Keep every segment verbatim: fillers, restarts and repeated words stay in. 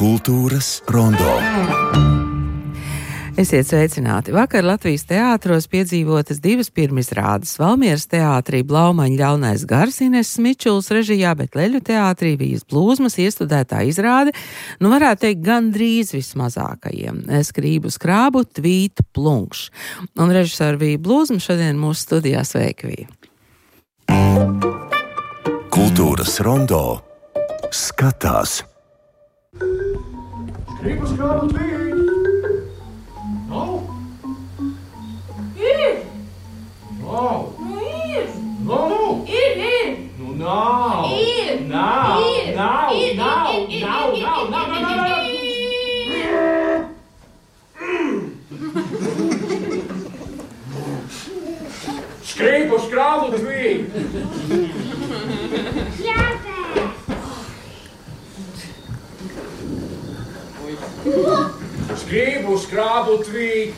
Kultūras rondo. Esiet sveicināti. Vakar Latvijas teātros piedzīvotas divas pirmizrādes. Valmieras teātrī Blaumaņa ļaunais gars Ines Smičuls režijā, bet Leļu teātrī Vijas Blūzmas iestudētā izrāde, nu varētu teikt, gandrīz vismazākajiem. Skrību skrābu tvītu plunkš. Un režisora Vija Blūzma šodien mūsu studijā. Sveiki, Vija. Kultūras rondo skatās. Skrību skrābu tvītu. Nav? Ir! Nav! Nu ir! Nav! Ir, ir! Nu nav! Ir! Nav! Ir! Nav! Ir! Nav! Ir! Nav! Ir! Nav! Nav! Nav! Nav! Skrību skrābu tvītu. Skrību skrābu tvītu.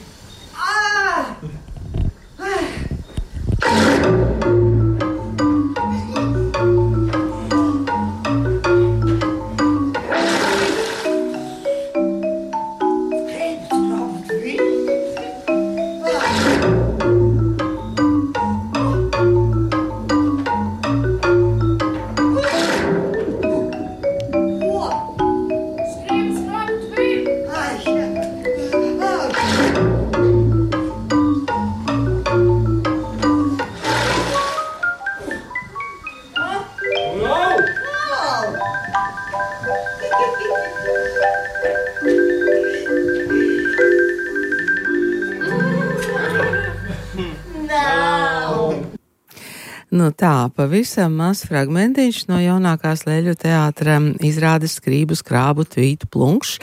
Nu tā, pavisam maz fragmentiņš no jaunākās Leļu teātra izrādes Skrību skrābu tvītu plunkš.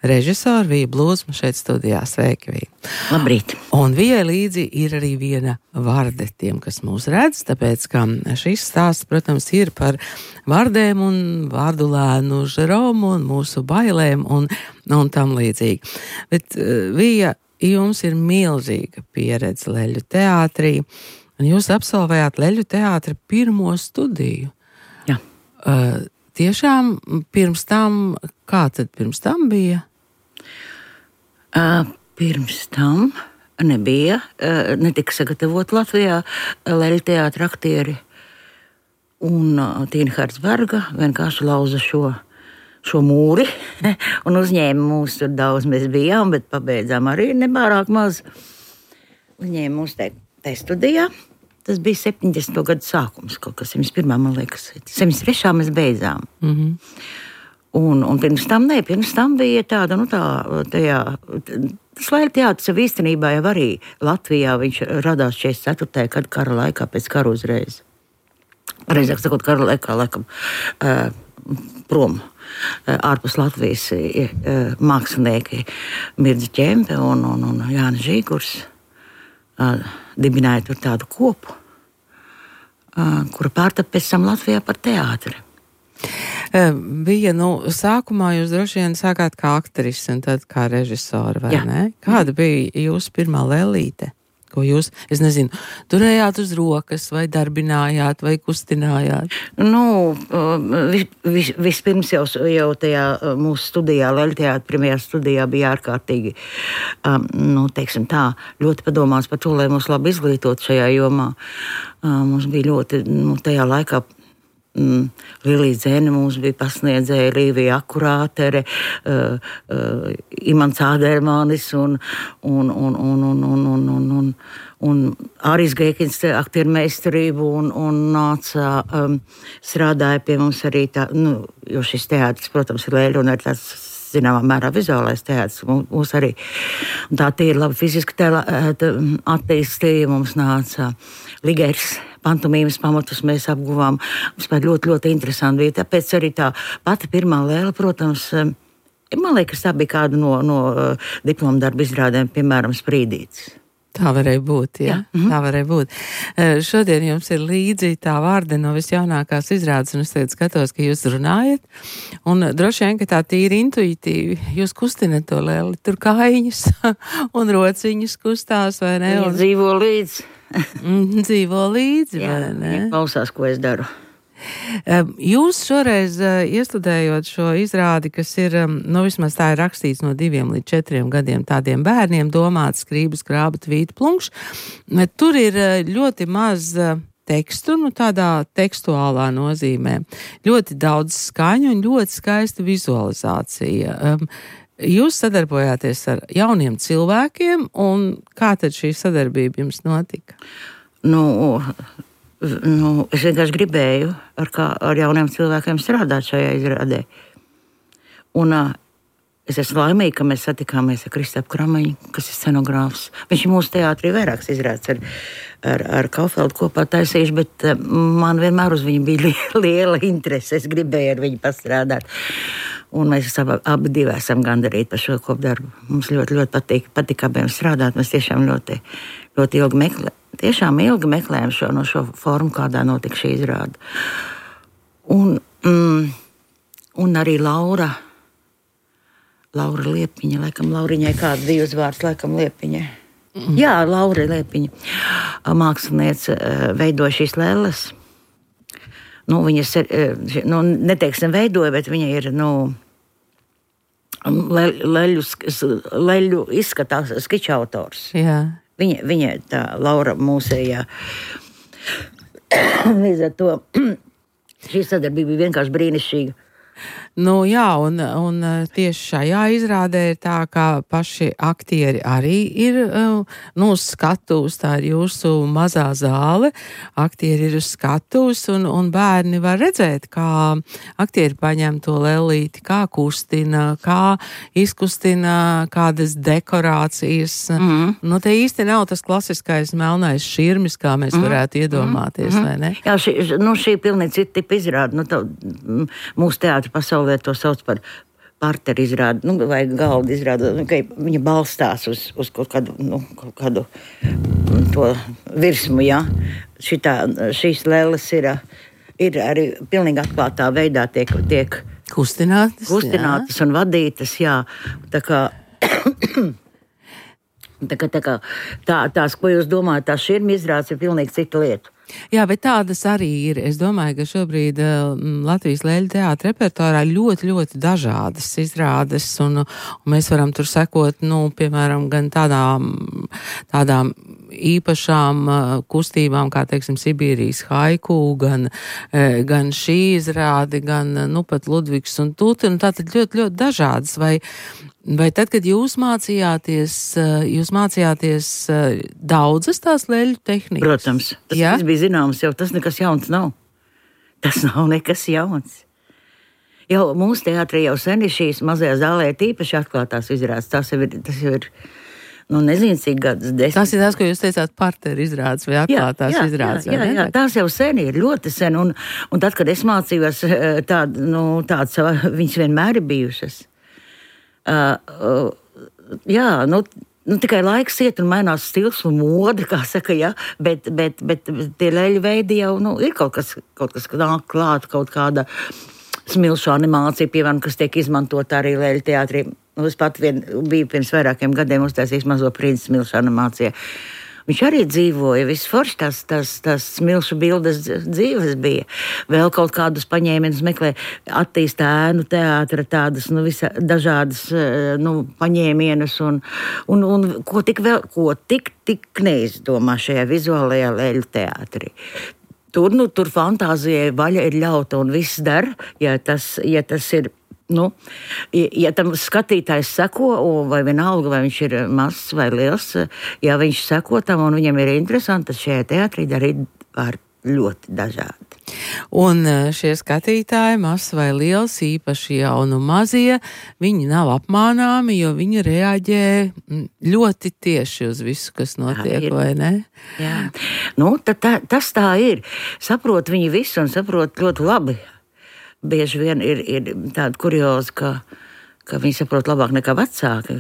Režisora Vija Blūzma šeit studijā. Sveiki, Vija. Labrīt. Un Vijai līdzi ir arī viena varde tiem, kas mūs redz, tāpēc, ka šis stāsts, protams, ir par vardēm un vārdulēnu Žeromu un mūsu bailēm un, un tam līdzīgi. Bet, Vija, jums ir milzīga pieredze Leļu teātrī. Un jūs absolvējāt Leļu teātra pirmo studiju. Jā. Uh, tiešām pirms tam, kā tad pirms tam bija? Uh, pirms tam nebija, uh, netika sagatavot Latvijā Leļu teātra aktieri. Un uh, Tīna Hartsberga vienkārši lauza šo, šo mūri un uzņēma mūs tur daudz. Mēs bijām, bet pabeidzām arī nebārāk maz. Uzņēma mūs te. Tā studijā, tas bija septiņdesmito gadu sākums, kaut kas septiņdesmit pirmā, man liekas, septiņdesmit trešā mēs beidzām. Mm-hmm. Un, un pirms tam, ne, pirms tam bija tāda, nu tā, tajā, tas Leļu teātris jau īstenībā jau arī Latvijā, viņš radās četrdesmit ceturtajā gadu kara laikā, pēc kara uzreiz. Pareizāk sakot, kara laikā, laikam, uh, prom. Ārpus Latvijas uh, mākslinieki Mirdzi Ķempe un, un, un Jānis Žīgurs. Uh, dibināja tur tādu kopu, uh, kura pārtapa pēc tam Latvijā par teātri. Bija, nu, sākumā jūs droši vien sākāt kā aktrise un tad kā režisora, vai Jā. ne? Kāda bija jūsu pirmā lēlīte? Ko jūs, es nezinu, turējāt uz rokas, vai darbinājāt, vai kustinājāt? Nu, vis, vis, vispirms jau, jau tajā mūsu studijā, Leļu teātra pirmajā studijā bija ārkārtīgi, um, nu, teiksim tā, ļoti padomāts par to, lai mūs labi izglītot šajā jomā. Uh, mums bija ļoti, nu, tajā laikā Mm, Lilija Dzene mums bija pasniedzēja, Līvija Akurātere, uh, uh, Imants Ādermanis un, un, un, un, un, un, un, un, un, un Aris Gēkins aktieru meistarību un, un nāca, um, strādāja pie mums arī tā, nu, jo šis teātris, protams, ir Leļu un ir tāds, zināmā mērā, vizuālais teātris. Mums arī tā tīri labi fiziski tēlā, attīstīja, mums nāca Ligers. Pantomīmas pamatus mēs apguvām. Mums bija ļoti, ļoti interesanti bija. Tāpēc arī tā pati pirmā lēle, protams, man liekas, tā bija kāda no, no diploma darba izrādēm, piemēram, Sprīdītis. Tā varēja būt, jā. Jā. Mhm. Tā varēja būt. Uh, šodien jums ir līdzi tā vārda no visjaunākās izrādes, un es tagad skatos, ka jūs runājat, un droši vien, ka tā tīri intuitīvi jūs kustinat to leli, tur kājiņas un rociņas kustās, vai ne? Viņa Un dzīvo līdzi. mm, dzīvo līdzi, Jā, vai ne? viņa klausās, ko es daru. Um, Jūs šoreiz uh, iestudējot šo izrādi, kas ir, um, nu vismaz tā ir rakstīts no diviem līdz četriem gadiem tādiem bērniem, domāts skrību, skrāba, tvīta, plunkš, tur ir uh, ļoti maz uh, tekstu, nu tādā tekstuālā nozīmē. Ļoti daudz skaņu un ļoti skaista vizualizācija. Um, Jūs sadarbojāties ar jauniem cilvēkiem, un kā tad šī sadarbība jums notika? Nu, nu, es vienkārši gribēju ar, kā, ar jauniem cilvēkiem strādāt šajā izrādē. Un uh, es esmu laimīga, ka mēs satikāmies ar Kristapu Kramaņu, kas ir scenogrāfs. Viņš ir mūsu teātrī vairākas izrādes ar, ar, ar Kaufeldu kopā taisījuši, bet uh, man vienmēr uz viņu bija liela, liela interese. Es gribēju ar viņu pastrādāt. Un mēs abi, abi divi esam gandarīti par šo kopdarbu. Mums ļoti, ļoti patīk, patīk abiem strādāt. Mēs tiešām ļoti, ļoti ilgi meklējam. Tiešām ilgi meklējam šo, no šo formu, kādā notika šī izrāde. Un, mm, un arī Laura, Laura Liepiņa, laikam Lauriņai kāds bija uzvārds, laikam Liepiņai. Mm. Jā, Laura Liepiņa, māksliniece, veidoja šīs lēles. Nu, viņas, nu, neteiksim veidoja, bet viņa ir, nu, le, leļu, leļu izskatās skiča autors. Jā. Viņa, viņa tā Laura mūsējā. Līdz ar to šī sadarbība bija vienkārši brīnišķīga. Nu jā, un, un tieši šajā izrādē ir tā, ka paši aktieri arī ir, nu, uz skatuves, tā ir jūsu mazā zāle, aktieri ir uz skatuves, un, un bērni var redzēt, kā aktieri paņem to lelīti, kā kustina, kā izkustina kādas dekorācijas. Mm. Nu, te īsti nav tas klasiskais melnais širmis, kā mēs varētu iedomāties, mm. vai ne? Jā, šī, nu, šī pilnīgi cita tipa izrāda. Nu, tā, mūsu teātra pasaulē to sauc par parteru izrādi, nu, vai galdu izrādi, nu, ka viņa balstās uz, uz kaut kādu, nu, kaut kādu to virsmu, jā. Šitā, šīs lēles ir, ir arī pilnīgi atklātā veidā tiek, tiek kustinātas, kustinātas un vadītas, jā. Tā kā, tā kā, tā kā tā, tās, ko jūs domājat, tās širmi izrādes ir pilnīgi cita lieta. Jā, bet tādas arī ir. Es domāju, ka šobrīd uh, Latvijas Leļu teātra repertuārā ļoti, ļoti dažādas izrādes, un, un mēs varam tur sekot, nu, piemēram, gan tādām, tādām īpašām uh, kustībām, kā, teiksim, Sibīrijas haiku, gan, uh, gan šī izrāde, gan, uh, nu, pat Ludvigs un Tuti, un tātad ļoti, ļoti dažādas. Vai, vai tad, kad jūs mācījāties, uh, jūs mācījāties uh, daudzas tās leļu tehnikas? Protams, tas ja? viss bija zināms, jau tas nekas jauns nav. Tas nav nekas jauns. Jau mūsu teātrī jau sen ir šīs mazajā zālē tīpaši atklātās izrādes. Tas jau ir, tas jau ir, nu, nezinu, cik gadus desmit. Tas ir tas, ko jūs teicāt, parteru izrādes vai atklātās jā, jā, izrādes. Jā, jā, jā, tās jau sen ir, ļoti sen. Un, un tad, kad es mācījos, tād, nu, tāds, viņas vienmēr ir bijušas. Uh, uh, jā, nu, Nu, tikai laiks iet un mainās stils un mode, kā saka, ja, bet, bet, bet tie leļu veidi jau, nu, ir kaut kas, kaut kas nāk klāt, kaut kāda smilšu animācija, piemēram, kas tiek izmantota arī leļu teātrī. Nu, es pat vien biju pirms vairākiem gadiem uztaisījis Mazo princi smilšu animācijā. Viņš arī dzīvoja, viss forši tās, tās, tās smilšu bildes dzīves bija. Vēl kaut kādus paņēmienus meklē, attīst ēnu teātra tādas, nu, visa, dažādas, nu, paņēmienus un, un, un ko tik vēl, ko tik, tik neizdomā šajā vizuālajā leļu teātrī. Tur, nu, tur fantāzijai vaļa ir ļauta un viss dar, ja tas, ja tas ir. Nu, ja tam skatītājs seko, vai vienalga, vai viņš ir mazs vai liels, ja viņš seko tam un viņam ir interesanti, tad šajā teātrī darīt var ļoti dažādi. Un šie skatītāji, mazs vai liels, īpaši jaunu mazie, viņi nav apmānāmi, jo viņi reaģē ļoti tieši uz visu, kas notiek, vai ne? Jā. Nu, tā, tā, tas tā ir. Saprot viņi visu un saprot ļoti labi. Bieži vien ir, ir tāda kurioza, ka, ka viņi saprot labāk nekā vecāki.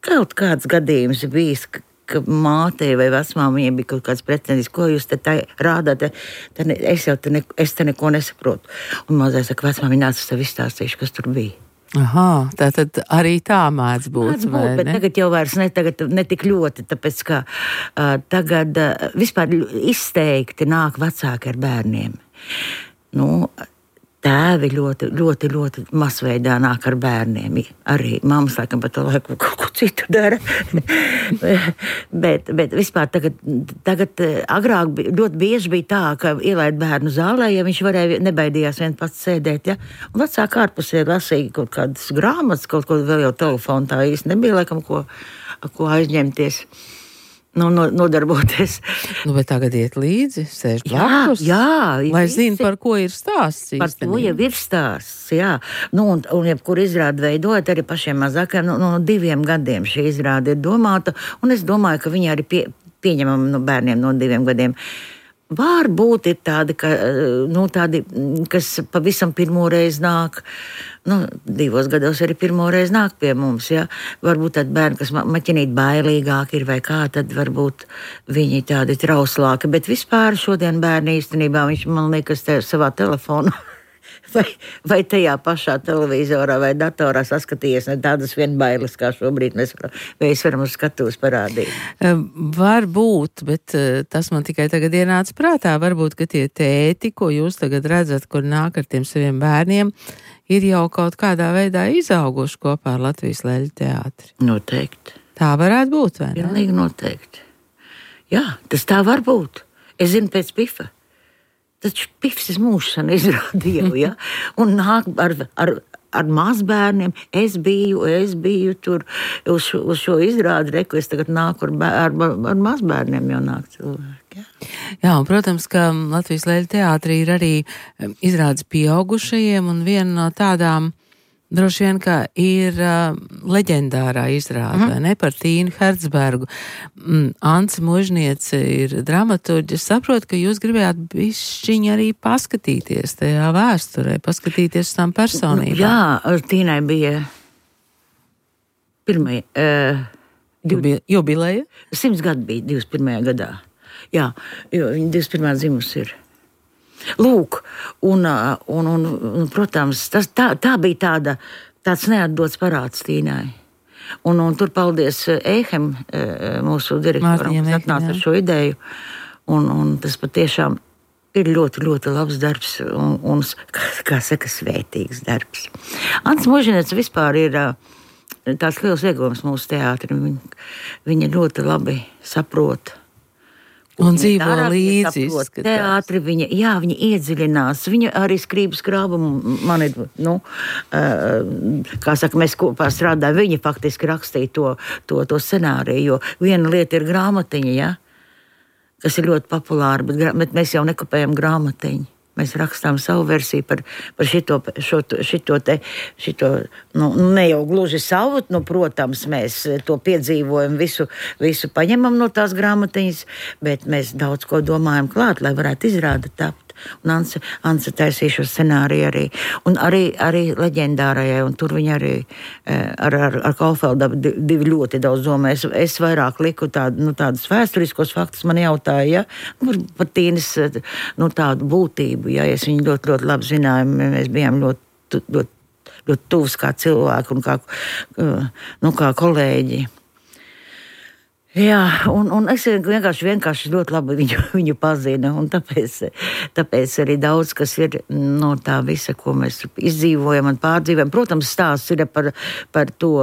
Kaut kāds gadījums bijis, ka mātei vai vecmāmiņai bija kaut kāds pretendis, ko jūs te tā rādāt, te ne, es jau te, ne, es te neko nesaprotu. Un mazais saka, vecmāmiņa nāc, es tev izstāstīšu, kas tur bija. Aha, tātad arī tā mēdz būt, Mēdz būt, vai bet ne? tagad jau vairs ne, tagad, ne tik ļoti, tāpēc, ka uh, tagad uh, vispār izteikti nāk vecāki ar bērniem. Nu, tēvi ļoti, ļoti, ļoti masveidā nāk ar bērniem. Arī mammas laikam pa to laiku kaut ko citu dara. bet, bet vispār tagad, tagad agrāk bija, ļoti bieži bija tā, ka ielaid bērnu zālē, ja viņš varēja, nebaidījās vien pats sēdēt, ja? Un vecāki ārpusē lasīja kaut kādas grāmatas, kaut ko vēl jau telefonu tā īsti nebija, laikam, ko, ko aizņemties. Nu, no, nodarboties. Nu, bet tagad iet līdzi, sēž Jā, blakus, jā, lai visi- zina, par ko ir stāsts. Par to īstenībā. jau ir stāsts, jā. Nu, un, un jebkur izrādi veidojot arī pašiem mazākajiem, no, no diviem gadiem šī izrāde ir domāta, un es domāju, ka viņi arī pie, pieņemam no bērniem no diviem gadiem. Varbūt ir tādi, ka, nu, tādi, kas pavisam pirmo reizi nāk, nu, divos gados arī pirmo reizi nāk pie mums, ja. Varbūt tādi bērni, kas ma- maķinīt bailīgāki ir vai kā, tad varbūt viņi tādi trauslāki, bet vispār šodien bērni īstenībā, viņš man liekas te savā telefonā vai, vai tajā pašā televizorā vai datorā saskatījies, ne tādas vien bailes, kā šobrīd mēs varam, mēs varam uz skatuves parādīt. Varbūt, bet eh, tas man tikai tagad ienāca prātā. Varbūt, ka tie tēti, ko jūs tagad redzat, kur nāk ar tiem saviem bērniem, ir jau kaut kādā veidā izauguši kopā ar Latvijas Leļu teātri. Noteikti. Tā varētu būt, vai ne? Pilnīgi noteikti. Jā, tas tā var būt. Es zinu pēc Pifa. Taču Pifs mūžsan izrādīja, ja? Un nāk ar, ar, ar mazbērniem. Es biju, es biju tur uz šo, uz šo izrādi, reku, es tagad nāku ar, bēr, ar, ar mazbērniem jau nāk cilvēki. Ja? Jā, un, protams, ka Latvijas Leļu teātrī ir arī em, izrādes pieaugušajiem, un viena no tādām droši vien, ka ir uh, leģendārā izrāde, mm. vai ne, par Tīnu Hertzbergu. Mm, Ance Mužniece ir dramaturģe. Es saprotu, ka jūs gribējāt bišķiņ arī paskatīties tajā vēsturē, paskatīties uz tām personībām. Jā, Tīnai bija pirmie, uh, Jubi, jubileja? simts gadi bija divdesmit pirmajā gadā. Jā, jo viņa divdesmit pirmā dzimus ir. Lūk, un, un, un, un protams, tas, tā, tā bija tāda, tāds neatdots parāds Tīnai. Un, un tur paldies Eihem, mūsu direktoram, Mārtiņam kas atnāca Eiham, ar šo ideju. Un, un tas patiešām ir ļoti, ļoti labs darbs un, un kā, kā saka, svētīgs darbs. Ants Mužniec vispār ir tāds liels ieguvums mūsu teātrim. Viņa, viņa ļoti labi saprot. Un dzīvo Dara, līdzi. saprot izskatās. Teātri, viņa, jā, viņa iedziļinās. Viņa arī skrības krāvumu man ir, nu, uh, kā saka, mēs kopā strādājam. Viņa faktiski rakstīja to, to, to scenāriju, jo viena lieta ir grāmatiņa, ja, kas ir ļoti populāra, bet, gra- bet mēs jau nekopējam grāmatiņu. Mēs rakstām savu versiju par, par šito, šo, šito te, šito, nu, ne jau gluži savu, nu, protams, mēs to piedzīvojam, visu, visu paņemam no tās grāmatiņas, bet mēs daudz ko domājam klāt, lai varētu izrāda tapt. Un Anse, Anse taisīja šo scenāriju arī. Un arī, arī leģendārajai, un tur viņa arī ar, ar, ar Kaufeldu divi ļoti daudz domā. Es, es vairāk liku tādu, nu, tādus vēsturiskos faktus, man jautāja, ja, nu, par Tīnas, nu, tādu būtību, ja, es viņu ļoti, ļoti labi zinājām, mēs bijām ļoti, ļoti, ļoti tuvs kā cilvēki un kā, nu, kā kolēģi. Jā, un, un es vienkārši, vienkārši ļoti labi viņu, viņu pazinu, un tāpēc, tāpēc arī daudz, kas ir no tā visa, ko mēs izdzīvojam un pārdzīvojam. Protams, stāsts ir par, par to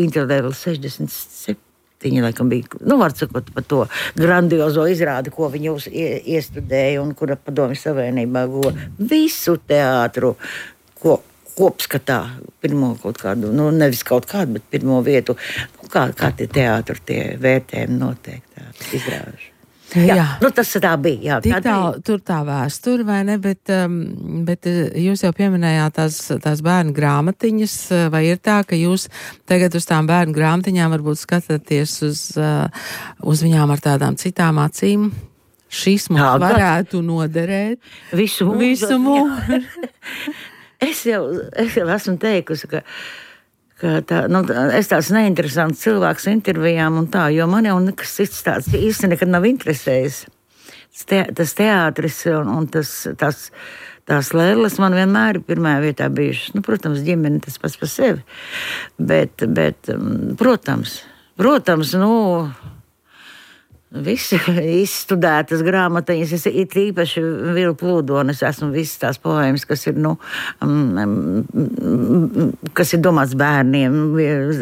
Interlevel sešdesmit septiņi, laikam bija, nu, var sakot, par to grandiozo izrādi, ko viņi uz, iestudēja un kura Padomju Savienībā go visu teātru, ko kopskatā, pirmo kaut kādu, nu, nevis kaut kādu, bet pirmo vietu, nu, kā, kā tie teātri, tie vērtējumi noteikti izrāžu. Jā, jā, nu tas tā bija. Jā, Tik tā tā, bija. tur tā vēsture, vai ne, bet, um, bet jūs jau pieminējāt tās, tās bērnu grāmatiņas, vai ir tā, ka jūs tagad uz tām bērnu grāmatiņām varbūt skatāties uz, uh, uz viņām ar tādām citām acīm? Šis mums Jā, varētu noderēt. Visu mūžu. Visu mūžu. Es jau, es jau esmu teikusi, ka, ka tā, nu, es tāds neinteresants cilvēks intervijām un tā, jo man jau nekas cits tāds īsti nekad nav interesējis. Tas, te, tas teātris un, un tas, tas, tās lēles man vienmēr ir pirmajā vietā bijušas. Nu, protams, ģimene tas pats par sevi. Bet, bet protams, protams, nu... Visi izstudētas grāmatiņas, es ir īpaši Vilu Plūdoni, es esmu visas tās poēmas, kas ir, nu, um, kas ir domāts bērniem,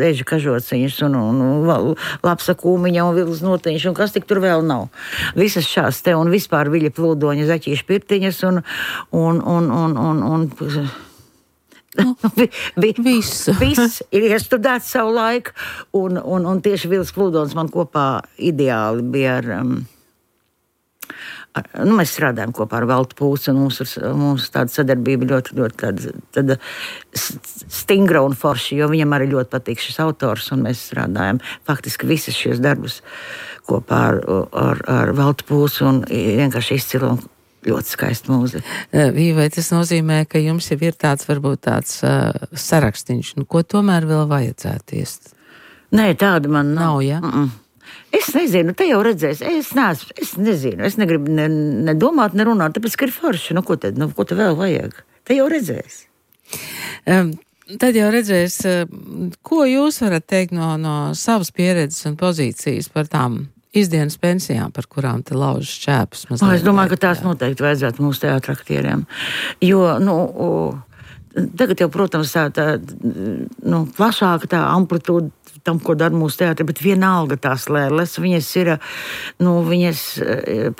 Eža kažociņas un, un Lapsa kūmiņa un Vilas notiņš, un kas tik tur vēl nav. Visas šās te un vispār Viļa Plūdoņa Zaķīša pirtiņas un, un, un, un, un, un Nu, vi, vi, visu. Viss ir iestudēts savu laiku, un, un, un tieši Vils Plūdons man kopā ideāli bija ar, um, ar nu, mēs strādājam kopā ar Valtu Pūsu, un mums, mums tāda sadarbība ļoti, ļoti tāda, tāda stingra un forša, jo viņam arī ļoti patīk šis autors, un mēs strādājam faktiski visas šies darbus kopā ar, ar, ar Valtu Pūsu, un vienkārši izcilam. Ļoti skaista mūzika. Vai tas nozīmē, ka jums jau ir tāds, varbūt tāds uh, sarakstīns, nu, ko tomēr vēl vajadzētu iest? Nē, tāda man nav. Nav, ja? Mm-mm. Es nezinu, te jau redzēs, es neesmu, es nezinu, es negribu ne, ne domāt, ne runāt, tāpēc, ka ir forši, nu, ko tad, nu, ko tad vēl vajag? Te jau redzēs. Um, tad jau redzēs, uh, ko jūs varat teikt no, no savas pieredzes un pozīcijas par tām izdienas pensijām, par kurām te lauž šķēpus. O, es domāju, ka tās noteikti vajadzētu mūsu teātraktieriem. Jo, nu, tagad jau, protams, tā, tā nu, plašāka tā amplitūda tam, ko dara mūsu teātri, bet vienalga tās lēles, viņas ir, nu, viņas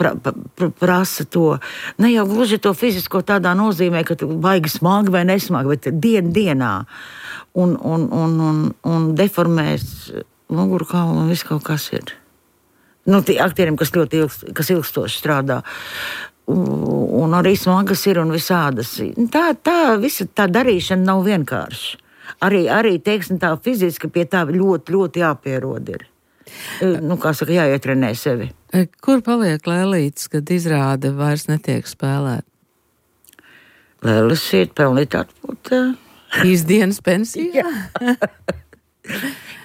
pra, pra, prasa to, ne jau gluži to fizisko tādā nozīmē, ka tu baigi smagi vai nesmagi, bet dien dienā un, un, un, un, un deformēs mugurkaulu un viss kaut kas ir. Nu, tie aktieriem, kas ļoti ilgst, kas ilgstoši strādā, un, un arī smagas ir un visādas. Tā, tā, visa tā darīšana nav vienkārši. Arī, arī teiksim, tā fiziski pie tā ļoti, ļoti jāpierod ir. Nu, kā saka, jāietrenē sevi. Kur paliek lēlītes, kad izrāde vairs netiek spēlēt? Lēlis ir pelnīt atpūt. Izdienas pensijā?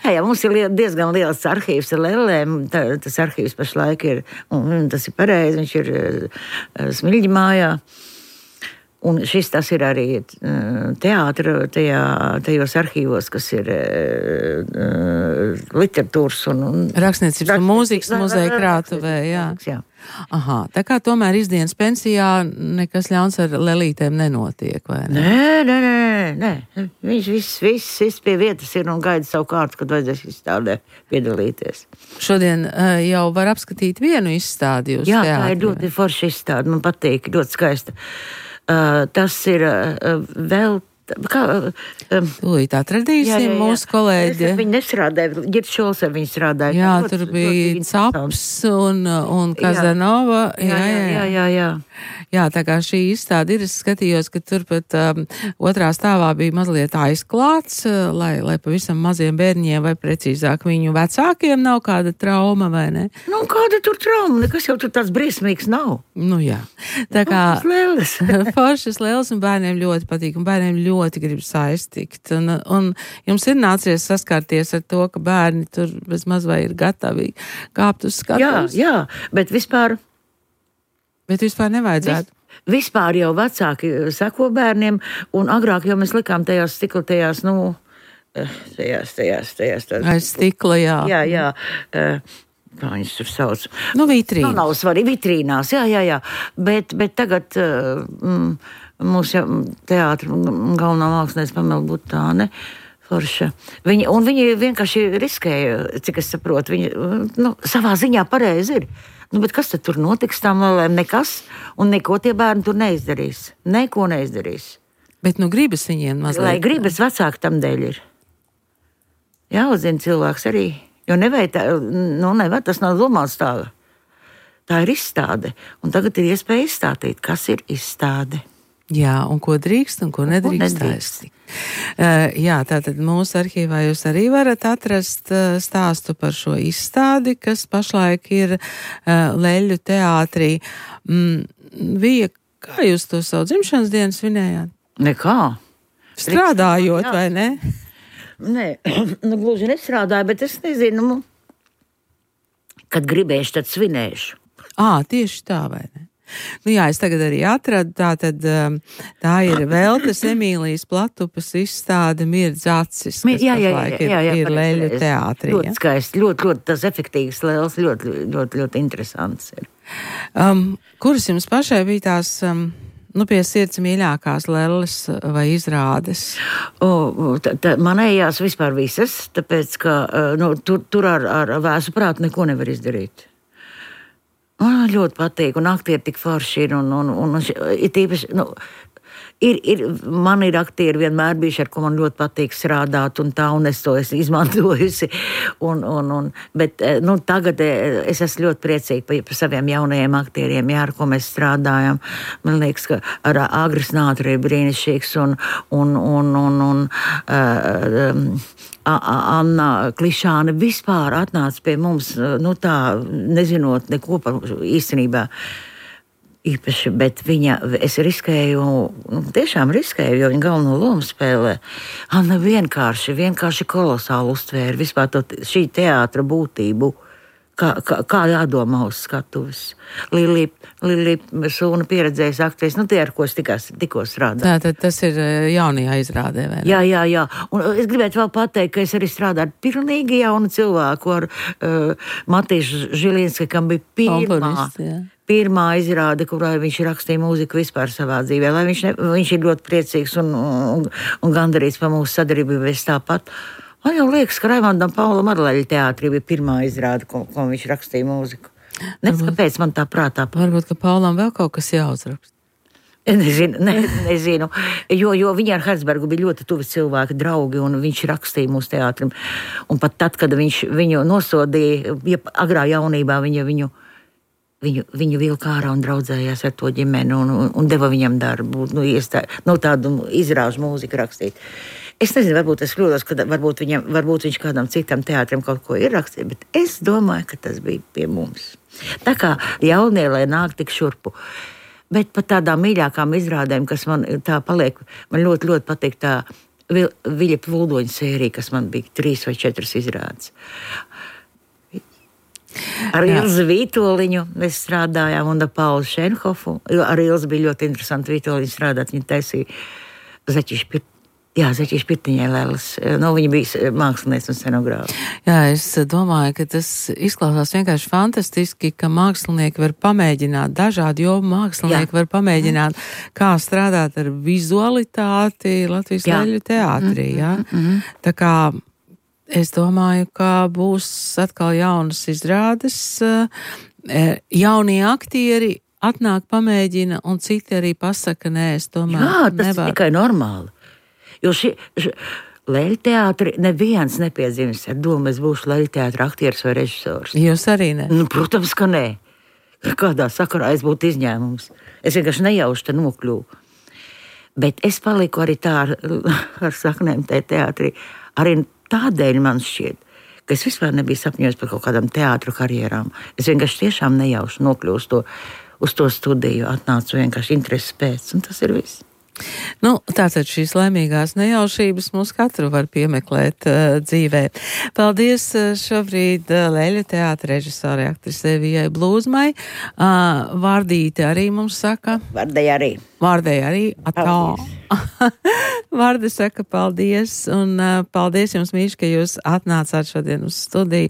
Jā, jā, mums ir liel, diezgan liels arhīvs ar lēlēm. Tā, tas arhīvs pašlaik ir, un tas ir pareizi, viņš ir uh, Smiļģi mājā. Un šis tas ir arī uh, teātra, tajā, tajos arhīvos, kas ir uh, literatūras un... un Rakstniecības un mūzikas muzeja krātuvē, jā. jā. Aha, tā kā tomēr izdienas pensijā nekas ļauns ar lelītēm nenotiek, vai ne? Nē, nē, nē, nē. Viņš viss, viss, viss pie vietas ir un gaida savu kārtu, kad vajadzēs izstādē piedalīties. Šodien uh, jau var apskatīt vienu izstādi jūs jā, teātrī. Jā, tā ir ļoti forša izstāde, man patīk, ļoti skaista. Uh, tas ir uh, vēl... Kā, um, Tūlīt atradīsim jā, jā, jā. mūsu kolēģi. Viņi nestrādāja, Girts Šols ar viņu strādāja. Jā, ļoti, tur bija Caps un, un Kazanova. Jā, jā, jā, jā, jā, jā. Jā, tā kā šī izstāde ir, es skatījos, ka tur pat um, otrā stāvā bija mazliet aizklāts, uh, lai, lai pavisam maziem bērņiem, vai precīzāk viņu vecākiem nav kāda trauma, vai ne? Nu, kāda tur trauma? Nekas jau tur tāds briesmīgs nav. Nu, jā. Tā kā lēles. foršas lēles un bērniem ļoti patīk, un bērniem ļoti grib saistīt. Un, un jums ir nācies saskarties ar to, ka bērni tur bez maz vai ir gatavi kāpt uz skatuves? Jā, jā, bet vispār... Bet vispār nevajadzētu. Vis, vispār jau vecāki sako bērniem, un agrāk jau mēs likām tajās stikla, tajās, nu, tajās, tajās, tajās. tajās Aiz stikla, jā. Jā, jā. Kā viņas tur sauc? Nu, vitrīnas. Nu, nav svarīgi, vitrīnās, jā, jā, jā. Bet, bet tagad mm, mūsu teātra galvenā mākslinieca Pamela Butāne, forša. Viņi, un viņi vienkārši riskēja, cik es saprotu, viņi, nu, savā ziņā pareizi ir. Nu, bet kas tad tur notiks tām lēlēm? Nekas, un neko tie bērni tur neizdarīs. Neko neizdarīs. Bet nu gribas viņiem mazliet. Lai gribas vecāki tam dēļ ir. Jāuzzina cilvēks arī. Jo nevajag tā, nu nevajag, tas nav domāts tā. Tā ir izstāde. Un tagad ir iespēja izstātīt, kas ir izstāde. Jā, un ko drīkst un ko nedrīkst taisīt. Uh, jā, tātad mūsu arhīvā jūs arī varat atrast uh, stāstu par šo izstādi, kas pašlaik ir uh, Leļu teātrī. Mm, Vija, kā jūs to savu dzimšanas dienu svinējāt? Nekā. Strādājot, vai ne? Nē, nu, gluži nestrādāju, bet es nezinu, kad gribēšu, tad svinēšu. Ā, tieši tā, vai ne? Nu jā, es tagad arī atradu, tā tad tā ir Veltes Emīlijas Platupas izstāde Mirdz acis, kas Jā, jā, jā, pašlaik ir, jā, jā, ir Leļu teātrī. Ļoti skaisti, ļoti, ļoti tas efektīvs lēls, ļoti, ļoti, ļoti interesants ir. Um, kuras jums pašai bija tās, um, nu, pie sirds mīļākās lelles vai izrādes? O, tā, tā, manējās vispār visas, tāpēc, ka nu, tur, tur ar, ar vēsu prātu neko nevar izdarīt. Man ļoti patīk, un aktieri tik forši ir, un, un, un, un ir tīpaši, nu, ir, ir, man ir aktieri vienmēr bijuši, ar ko man ļoti patīk strādāt, un tā, un es to esmu izmantojusi, un, un, un, bet, nu, tagad es esmu ļoti priecīga par, par saviem jaunajiem aktieriem, jā, ar ko mēs strādājam. Man liekas, ka ar Agris Nātri ir brīnišķīgs, un, un, un, un, un uh, um, Anna Klišāne vispār atnāca pie mums, nu tā, nezinot neko par īstenībā īpaši, bet viņa, es riskēju, nu, tiešām riskēju, jo viņa galveno lomu spēlē. Anna vienkārši, vienkārši kolosāli uztvēra vispār to, šī teātra būtību. Kā, kā, kā jādomā uz skatuves. Lili, Lili Sūna pieredzējas aktris, nu tie, ar ko es tikās, tikko strādāju. Tātad tas ir jaunajā izrādē, vai ne? Jā, jā, jā. Un es gribētu vēl pateikt, ka es arī strādāju ar pilnīgi jaunu cilvēku, ar uh, Matīšu Žilinski, kam bija pirmā, pirmā izrāde, kurai viņš rakstīja mūziku vispār savā dzīvē. Lai viņš, ne, viņš ir ļoti priecīgs un, un, un gandarīts par mūsu sadarbību, es tāpat. Man jau liekas, ka Raimondam Paulam ar Leļu teātrī bija pirmā izrāde, ko, ko viņš rakstīja mūziku. Nezinu, kāpēc man tā prātā. Varbūt, ka Paulam vēl kaut kas jāuzraksta. Nezinu, ne, nezinu. Jo, jo viņa ar Herzbergu bija ļoti tuvi cilvēki, draugi, un viņš rakstīja mūsu teātrim. Un pat tad, kad viņš viņu nosodīja, ja agrā jaunībā viņa viņu, viņu, viņu vilka ārā un draudzējās ar to ģimeni un, un, un deva viņam darbu, nu, iestā, nu tādu izrāžu mūziku rakstīt. Es nezinu, varbūt es kļūdos, ka varbūt, viņam, varbūt viņš kādam citam teātrim kaut ko ir rakstījis, bet es domāju, ka tas bija pie mums. Tā kā jaunie, lai nāk tik šurpu. Bet pat tādām mīļākām izrādēm, kas man tā paliek, man ļoti, ļoti patīk tā Viļa Plūdoņa sērija, kas man bija trīs vai četras izrādes. Ar Ilzi Vītoliņu mēs strādājām un ar Paulu Šenhofu. Ar Ilzi bija ļoti interesanti Vītoliņu strādāt, viņa taisīja Zaķišu Pirtiņu. Jā, Zaķiša Pirtiņai Lēlas. Nu, viņa bija mākslinieks un scenogrāfs. Jā, es domāju, ka tas izklausās vienkārši fantastiski, ka mākslinieki var pamēģināt, dažādi jomu mākslinieki Jā. Var pamēģināt, kā strādāt ar vizualitāti Latvijas Leļu teātrī. Jā. Mm-hmm. Tā kā es domāju, ka būs atkal jaunas izrādes, jaunie aktieri atnāk, pamēģina, un citi arī pasaka, nē, es tomēr Jā, tas nevaru. Ir tikai normāli. Jo šī, šī Leļu teātri neviens nepiedzimis ar domu, es būšu Leļu teātra aktieris vai režisors. Jūs arī ne? Nu, protams, ka nē. Kādā sakarā es būtu izņēmums. Es vienkārši nejauši te nokļuvu. Bet es paliku arī tā ar, ar saknēm te teātrī. Arī tādēļ man šķiet, ka es vispār nebiju sapņojis par kaut kādām teātru karjerām. Es vienkārši tiešām nejauši nokļuvu uz to, uz to studiju, atnācu vienkārši intereses pēc, un tas ir viss. Nu, tātad šīs laimīgās nejaušības mūs katru var piemeklēt uh, dzīvē. Paldies uh, šobrīd uh, Leļu teātra režisore aktrisei Vijai Blūzmai. Uh, Vārdīte arī mums saka. Vārdei arī. Vārdei arī. Atā. Vārdi saka paldies, un uh, paldies jums, mīļš, ka jūs atnācāt šodien uz studiju.